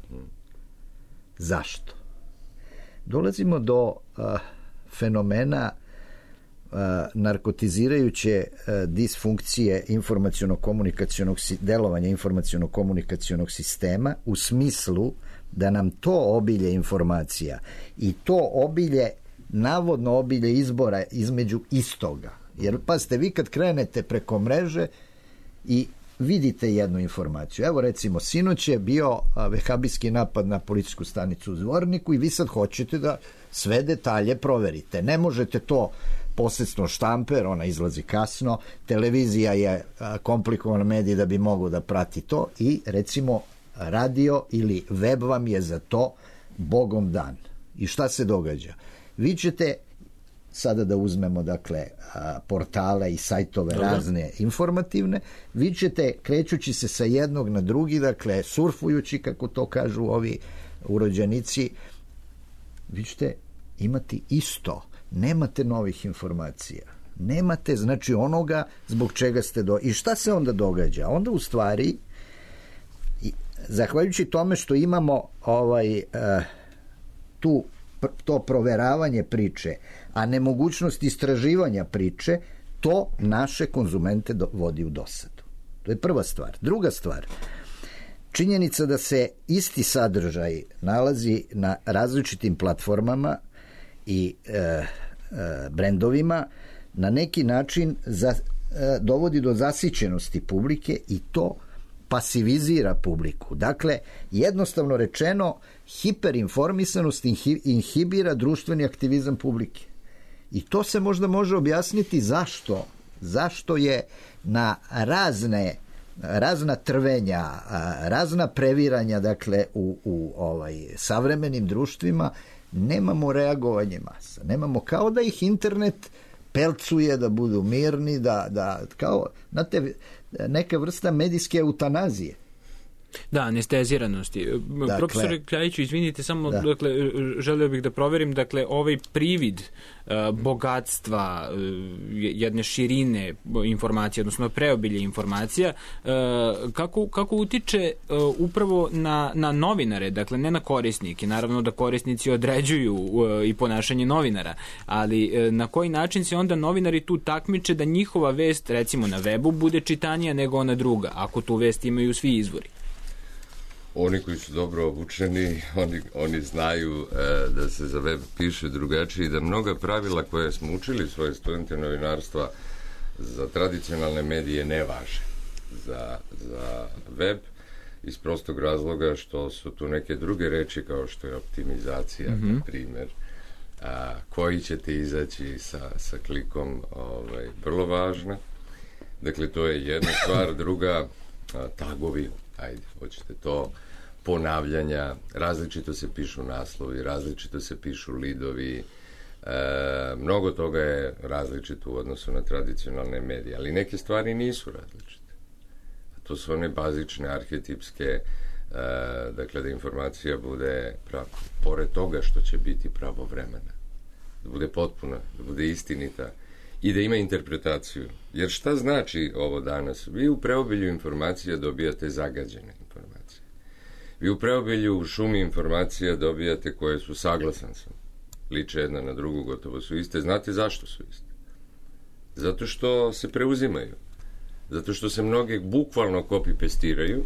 Zašto? Dolazimo do fenomena narkotizirajuće disfunkcije delovanja informaciono-komunikacionog sistema, u smislu da nam to obilje informacija i to obilje, navodno obilje izbora između istoga. Jer, pazite, vi kad krenete preko mreže i vidite jednu informaciju. Evo, recimo, sinoć je bio vehabijski napad na policijsku stanicu u Zvorniku i vi sad hoćete da sve detalje proverite. Ne možete to posredstvom štampe, jer ona izlazi kasno, televizija je komplikovan medij da bi mogao da prati to i, recimo, radio ili web vam je za to bogom dan. I šta se događa? Vi ćete sada da uzmemo, dakle, portale i sajtove razne informativne, vi ćete, krećući se sa jednog na drugi, dakle, surfujući, kako to kažu ovi urođenici, vi ćete imati isto. Nemate novih informacija. Nemate, znači, onoga zbog čega ste I šta se onda događa? Onda, u stvari, zahvaljujući tome što imamo to proveravanje priče, a nemogućnost istraživanja priče, to naše konzumente vodi u dosadu. To je prva stvar. Druga stvar, činjenica da se isti sadržaj nalazi na različitim platformama i brendovima na neki način dovodi do zasićenosti publike i to pasivizira publiku. Dakle, jednostavno rečeno, hiperinformisanost inhibira društveni aktivizam publike. I to se možda može objasniti zašto je na razna trvenja, razna previranja, dakle, u savremenim društvima nemamo reagovanje masa. Nemamo, kao da ih internet pelcuje da budu mirni, da kao, znate, neka vrsta medijske eutanazije. Da, anesteziranosti. Dakle, profesore Kljajiću, izvinite, samo dakle, želeo bih da proverim, dakle, ovaj privid bogatstva, jedne širine informacija, odnosno preobilje informacija, kako utiče upravo na novinare, dakle, ne na korisnike. Naravno da korisnici određuju i ponašanje novinara, ali na koji način se onda novinari tu takmiče da njihova vest, recimo na webu, bude čitanija nego ona druga, ako tu vest imaju svi izvori? Oni koji su dobro obučeni, oni znaju da se za web piše drugačije i da mnoga pravila koje smo učili svoje studente novinarstva za tradicionalne medije ne važe za web, iz prostog razloga što su tu neke druge reči kao što je optimizacija, na primjer, koji ćete izaći sa klikom, vrlo važna. Dakle, to je jedna stvar. Druga, tagovi, ajde, hoćete to, ponavljanja, različito se pišu naslovi, različito se pišu lidovi, mnogo toga je različito u odnosu na tradicionalne medije, ali neke stvari nisu različite. To su one bazične, arhetipske, dakle da informacija bude, pored toga što će biti pravovremena, da bude potpuna, da bude istinita i da ima interpretaciju. Jer šta znači ovo danas? Vi u preobilju informacija dobijate zagađene informacije. Vi u preobilju u šumi informacija dobijate koje su, saglasan sam, liče jedna na drugu, gotovo su iste. Znate zašto su iste? Zato što se preuzimaju. Zato što se mnoge bukvalno copy-pastiraju,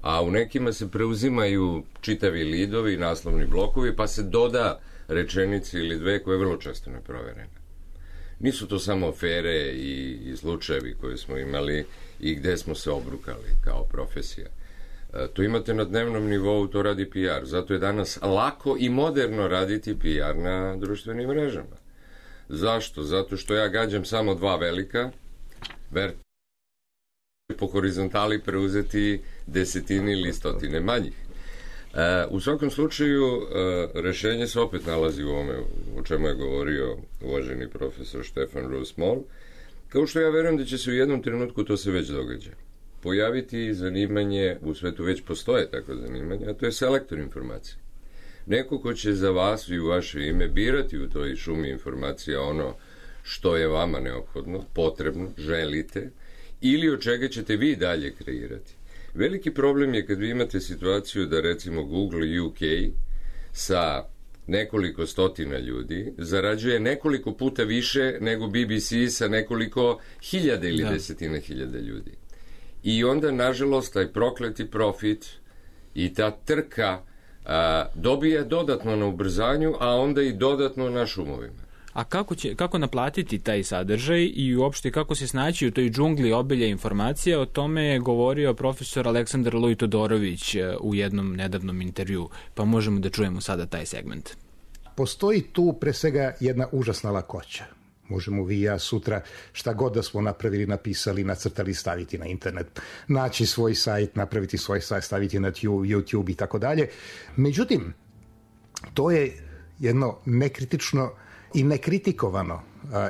a u nekima se preuzimaju čitavi lidovi, naslovni blokovi, pa se doda rečenici ili dve koje je vrlo često neproverene. Nisu to samo afere i slučajevi koje smo imali i gde smo se obrukali kao profesija. To imate na dnevnom nivou, to radi PR. Zato je danas lako i moderno raditi PR na društvenim mrežama. Zašto? Zato što ja gađam samo dva velika, po horizontali preuzeti desetine ili stotine manjih. U svakom slučaju, rešenje se opet nalazi u ovome o čemu je govorio uvaženi profesor Štefan Roos-Moll, kao što ja verujem da će se u jednom trenutku, to se već događa, pojaviti zanimanje, u svetu već postoje tako zanimanje, a to je selektor informacije. Neko ko će za vas i u vaše ime birati u toj šumi informacija ono što je vama neophodno, potrebno, želite, ili od čega ćete vi dalje kreirati. Veliki problem je kad vi imate situaciju da recimo Google UK sa nekoliko stotina ljudi zarađuje nekoliko puta više nego BBC sa nekoliko hiljada ili desetina hiljada ljudi. I onda, nažalost, taj prokleti profit i ta trka dobija dodatno na ubrzanju, a onda i dodatno na šumovima. A kako naplatiti taj sadržaj i uopšte kako se snaći u toj džungli obilja informacija, o tome je govorio profesor Aleksandar Luj-Todorović u jednom nedavnom intervju, pa možemo da čujemo sada taj segment. Postoji tu pre svega jedna užasna lakoća. Možemo vi i ja sutra šta god da smo napravili, napisali, nacrtali, staviti na internet, naći svoj sajt, napraviti svoj sajt, staviti na YouTube i tako dalje. Međutim, to je jedno nekritično i nekritikovano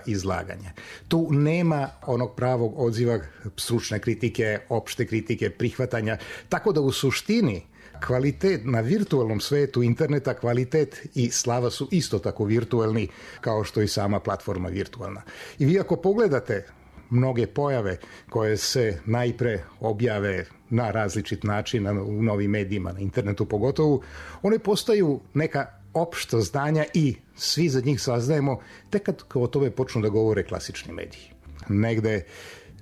izlaganje. Tu nema onog pravog odziva, stručne kritike, opšte kritike, prihvatanja, tako da u suštini kvalitet na virtualnom svetu interneta, kvalitet i slava su isto tako virtualni kao što i sama platforma virtualna. I vi ako pogledate mnoge pojave koje se najpre objave na različit način u novim medijima, na internetu pogotovo, one postaju neka opšto znanja i svi za njih saznajemo tek kad o tome počnu da govore klasični mediji. Negde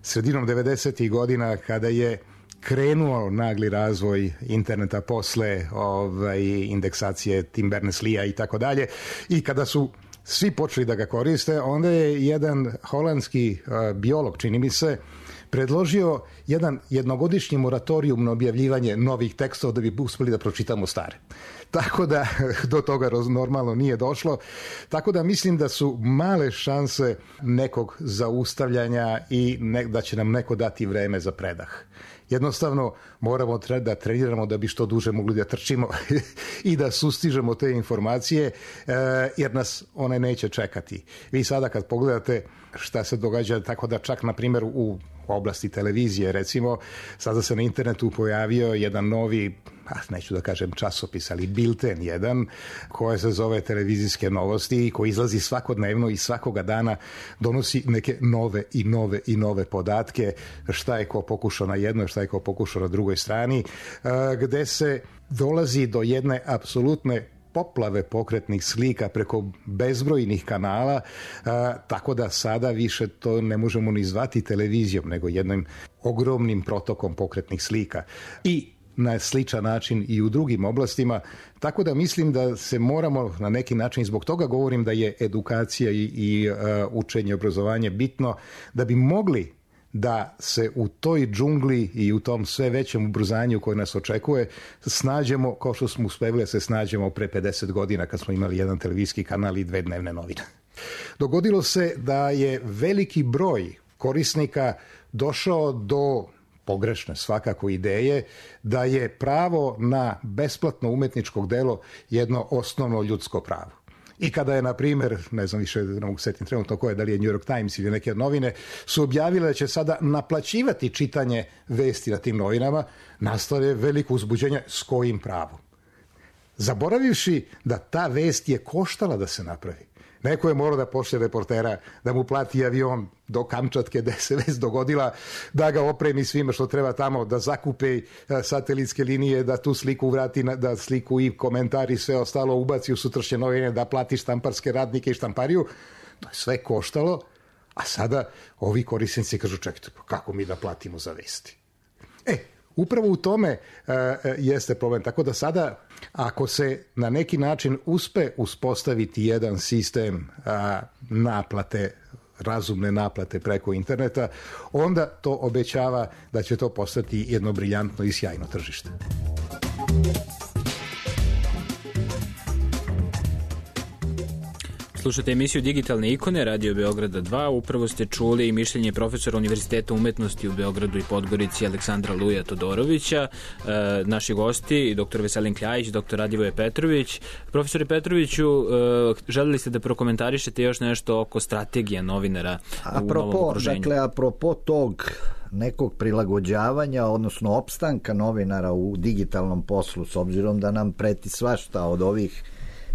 sredinom 90. godina kada je krenuo nagli razvoj interneta posle indeksacije Tim Berners-Leea i tako dalje, i kada su svi počeli da ga koriste, onda je jedan holandski biolog, čini mi se, predložio jedan jednogodišnji moratorijum na objavljivanje novih tekstova da bi uspeli da pročitamo stare. Tako da do toga normalno nije došlo. Tako da mislim da su male šanse nekog zaustavljanja i da će nam neko dati vreme za predah. Jednostavno moramo da treniramo da bi što duže mogli da trčimo i da sustižemo te informacije, jer nas one neće čekati. Vi sada kad pogledate šta se događa, tako da čak na primjer u u oblasti televizije. Recimo, sada se na internetu pojavio jedan novi, neću da kažem časopis, ali bilten jedan, koji se zove Televizijske novosti i koji izlazi svakodnevno i svakoga dana donosi neke nove podatke, šta je ko pokušao na jednoj, šta je ko pokušao na drugoj strani, gde se dolazi do jedne apsolutne poplave pokretnih slika preko bezbrojnih kanala, tako da sada više to ne možemo ni zvati televizijom, nego jednim ogromnim protokom pokretnih slika. I na sličan način i u drugim oblastima, tako da mislim da se moramo na neki način, zbog toga govorim da je edukacija i učenje i obrazovanje bitno, da bi mogli da se u toj džungli i u tom sve većem ubrzanju koje nas očekuje snađemo kao što smo uspeli da se snađemo pre 50 godina kad smo imali jedan televizijski kanal i 2 dnevne novine. Dogodilo se da je veliki broj korisnika došao do pogrešne svakako ideje da je pravo na besplatno umetničko delo jedno osnovno ljudsko pravo. I kada je, na primjer, ne znam više, ne mogu setim trenutno koje, da li je New York Times ili neke novine, su objavile da će sada naplaćivati čitanje vesti na tim novinama, nastalo je veliko uzbuđenje s kojim pravom. Zaboravivši da ta vest je koštala da se napravi. Neko je morao da pošle reportera, da mu plati avion do Kamčatke gde se vest dogodila, da ga opremi svima što treba tamo, da zakupe satelitske linije, da tu sliku vrati, da sliku i komentari sve ostalo ubaci u sutrašnje novine, da plati štamparske radnike i štampariju. To je sve koštalo, a sada ovi korisnici kažu čekajte, kako mi da platimo za vesti? Upravo u tome jeste problem. Tako da sada, ako se na neki način uspe uspostaviti jedan sistem naplate, razumne naplate preko interneta, onda to obećava da će to postati jedno briljantno i sjajno tržište. Slušate emisiju Digitalne ikone, Radio Beograda 2. Upravo ste čuli mišljenje profesora Univerziteta umetnosti u Beogradu i Podgorici Aleksandra Luja Todorovića, naši gosti, dr. Veselin Kljajić, dr. Radivoje Petrović. Profesore Petroviću, želeli ste da prokomentarišete još nešto oko strategija novinara u novom okruženju? Dakle, apropo tog nekog prilagođavanja, odnosno opstanka novinara u digitalnom poslu, s obzirom da nam preti svašta od ovih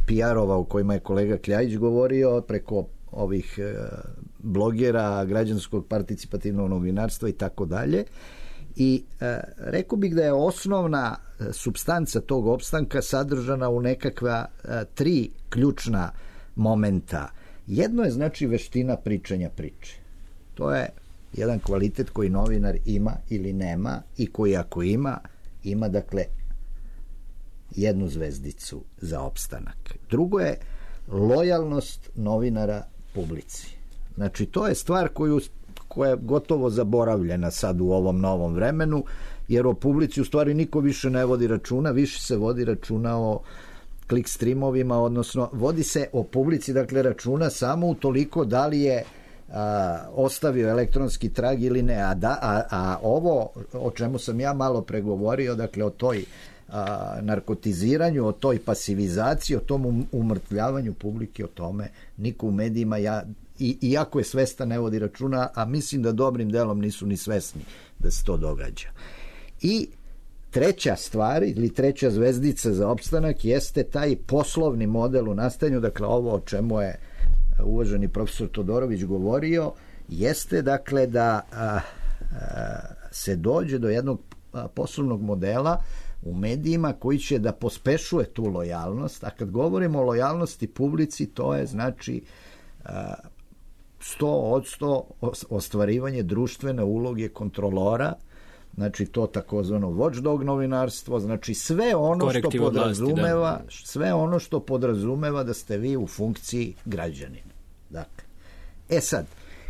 PR-ova o kojima je kolega Kljajić govorio, preko ovih blogera, građanskog participativnog novinarstva i tako dalje. I rekao bih da je osnovna supstanca tog opstanka sadržana u nekakva 3 ključna momenta. Jedno je znači veština pričanja priče. To je jedan kvalitet koji novinar ima ili nema i koji ako ima dakle jednu zvezdicu za opstanak. Drugo je lojalnost novinara publici. Znači, to je stvar koja je gotovo zaboravljena sad u ovom novom vremenu, jer o publici u stvari niko više ne vodi računa, više se vodi računa o klik streamovima, odnosno vodi se o publici, dakle, računa samo utoliko da li je ostavio elektronski trag ili ne. A ovo o čemu sam ja malo pregovorio, dakle, o toj narkotiziranju, o toj pasivizaciji, o tom umrtvljavanju publike, o tome niko u medijima, iako je svestan, ne vodi računa, a mislim da dobrim delom nisu ni svesni da se to događa. I treća stvar ili treća zvezdica za opstanak jeste taj poslovni model u nastajanju, dakle ovo o čemu je uvaženi profesor Todorović govorio, jeste dakle da se dođe do jednog poslovnog modela u medijima koji će da pospešuje tu lojalnost, a kad govorimo o lojalnosti publici, to je znači 100% ostvarivanje društvene uloge kontrolora, znači to takozvano watchdog novinarstvo, znači sve ono što podrazumeva, sve ono što podrazumeva da ste vi u funkciji građanina. Dakle, sad,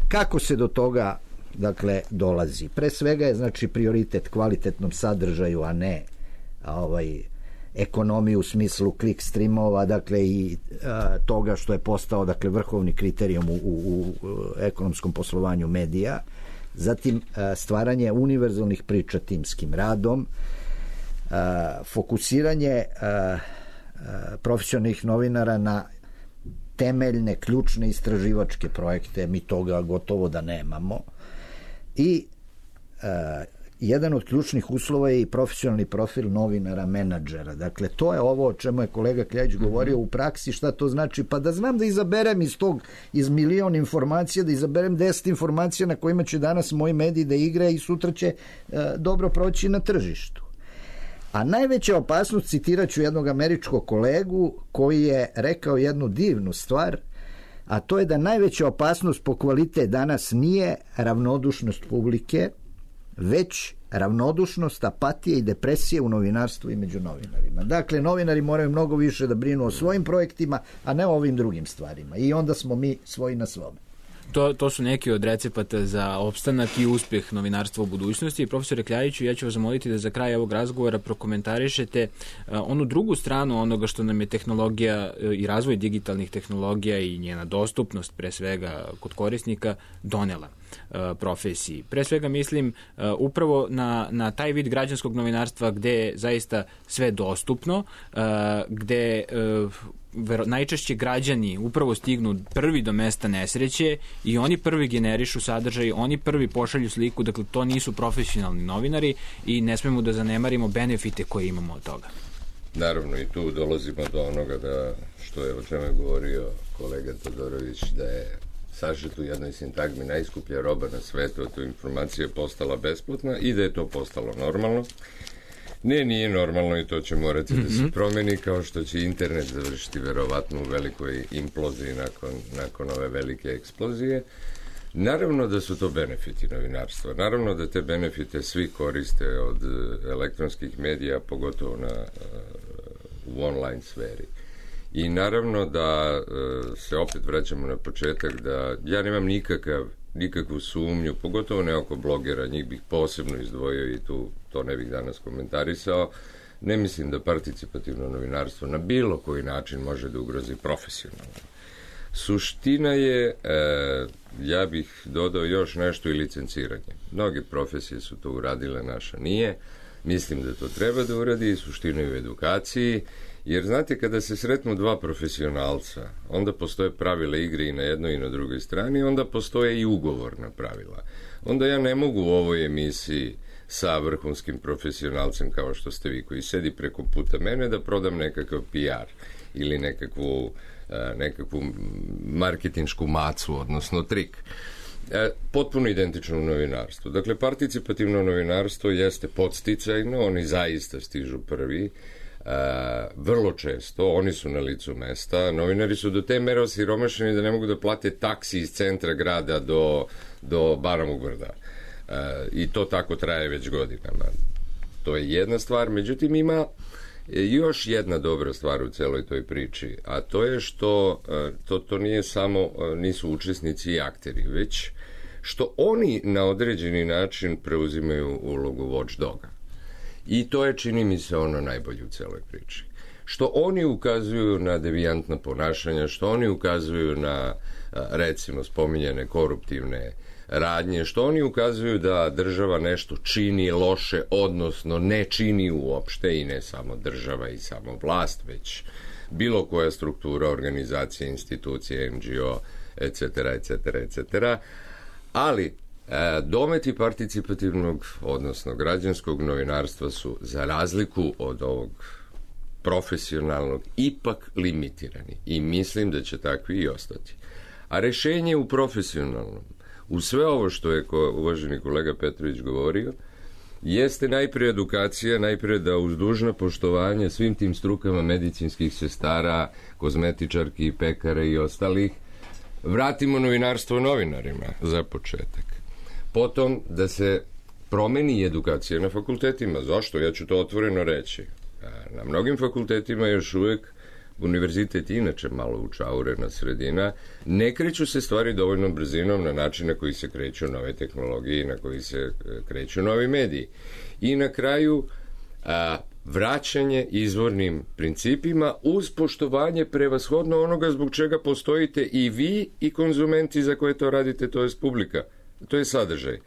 kako se do toga dakle dolazi? Pre svega je znači prioritet kvalitetnom sadržaju, a ne ekonomiju u smislu klik streamova, dakle i toga što je postao dakle vrhovni kriterijum u ekonomskom poslovanju medija. Zatim stvaranje univerzalnih priča timskim radom, fokusiranje profesionalnih novinara na temeljne, ključne istraživačke projekte, mi toga gotovo da nemamo, i jedan od ključnih uslova je i profesionalni profil novinara, menadžera. Dakle, to je ovo o čemu je kolega Kljajić govorio u praksi, šta to znači, pa da znam da izaberem iz milion informacija, da izaberem 10 informacija na kojima će danas moji mediji da igra i sutra će dobro proći na tržištu. A najveća opasnost, citirat ću jednog američkog kolegu koji je rekao jednu divnu stvar, a to je da najveća opasnost po kvalitet danas nije ravnodušnost publike, već ravnodušnost, apatije i depresije u novinarstvu i među novinarima. Dakle, novinari moraju mnogo više da brinu o svojim projektima, a ne o ovim drugim stvarima. I onda smo mi svoji na svome. To su neki od recepata za opstanak i uspjeh novinarstva u budućnosti. Profesore Kljajiću, ja ću vas zamoliti da za kraj ovog razgovora prokomentarišete onu drugu stranu onoga što nam je tehnologija i razvoj digitalnih tehnologija i njena dostupnost, pre svega kod korisnika, donela profesiji. Pre svega mislim upravo na taj vid građanskog novinarstva gde je zaista sve dostupno, gde najčešće građani upravo stignu prvi do mesta nesreće i oni prvi generišu sadržaj, oni prvi pošalju sliku, dakle to nisu profesionalni novinari i ne smemo da zanemarimo benefite koje imamo od toga. Naravno, i tu dolazimo do onoga što je o čemu je govorio kolega Todorović, da je sažet u jednoj sintagmi najskuplja roba na svetu, a to informacija je postala besplatna i da je to postalo normalno. Nije normalno i to će morati da se promeni, kao što će internet završiti verovatno u velikoj imploziji nakon ove velike eksplozije. Naravno da su to benefiti novinarstva. Naravno da te benefite svi koriste od elektronskih medija, pogotovo u online sferi. I naravno da se opet vraćamo na početak, da ja nemam nikakvu sumnju, pogotovo ne oko blogera, njih bih posebno izdvojio i to ne bih danas komentarisao. Ne mislim da participativno novinarstvo na bilo koji način može da ugrozi profesionalno. Suština je, ja bih dodao još nešto, i licenciranje. Mnoge profesije su to uradile, naša nije. Mislim da to treba da uradi, i suština je u edukaciji, jer znate, kada se sretnu dva profesionalca, onda postoje pravila igre i na jednoj i na drugoj strani, onda postoje i ugovorna pravila. Onda ja ne mogu u ovoj emisiji sa vrhunskim profesionalcem kao što ste vi, koji sedi preko puta mene, da prodam nekakav PR ili nekakvu marketinšku macu, odnosno trik. Potpuno identično u novinarstvu. Dakle, participativno novinarstvo jeste podsticajno, oni zaista stižu prvi, vrlo često, oni su na licu mesta, novinari su do te mere osiromašeni da ne mogu da plate taksi iz centra grada do Baramovog brda. I to tako traje već godinama. To je jedna stvar, međutim ima još jedna dobra stvar u celoj toj priči, a to je što to nije samo, nisu učesnici i akteri, već što oni na određeni način preuzimaju ulogu watchdoga. I to je, čini mi se, ono najbolje u celoj priči. Što oni ukazuju na devijantna ponašanja, što oni ukazuju na, recimo, spominjane koruptivne radnje, što oni ukazuju da država nešto čini loše, odnosno ne čini uopšte, i ne samo država i samo vlast, već bilo koja struktura, organizacija, institucija, NGO, etc., ali dometi participativnog, odnosno građanskog novinarstva su, za razliku od ovog profesionalnog, ipak limitirani, i mislim da će takvi i ostati. A rešenje u profesionalnom, u sve ovo što je uvaženi kolega Petrović govorio, jeste najprije edukacija, najprije da uz dužno poštovanje svim tim strukama medicinskih sestara, kozmetičarki, pekara i ostalih, vratimo novinarstvo novinarima za početak. Potom da se promeni edukacija na fakultetima. Zašto? Ja ću to otvoreno reći. Na mnogim fakultetima još uvek, univerzitet inače malo učaurena sredina, ne kreću se stvari dovoljnom brzinom na način na koji se kreću nove tehnologije i na koji se kreću novi mediji. I na kraju vraćanje izvornim principima uz poštovanje prevashodno onoga zbog čega postojite i vi i konzumenti za koje to radite, to je publika. To je sadržaj.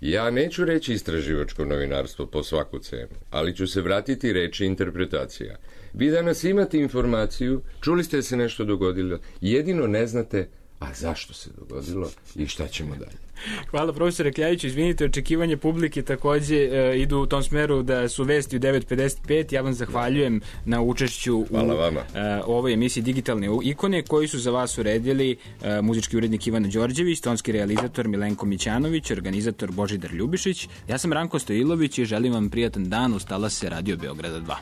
Ja neću reći istraživačko novinarstvo po svaku cenu, ali ću se vratiti reči interpretacija. Vi danas imate informaciju, čuli ste da se nešto dogodilo, jedino ne znate a zašto se dogodilo i šta ćemo dalje. Hvala profesore Kljajiću, izvinite, očekivanje publike takođe idu u tom smeru da su vesti u 9:55. Ja vam zahvaljujem na učešću u ovoj emisiji Digitalne ikone, koji su za vas uredili muzički urednik Ivana Đorđević, tonski realizator Milenko Mićanović, organizator Božidar Ljubišić. Ja sam Ranko Stojilović i želim vam prijatan dan uz talase Radio Beograda 2.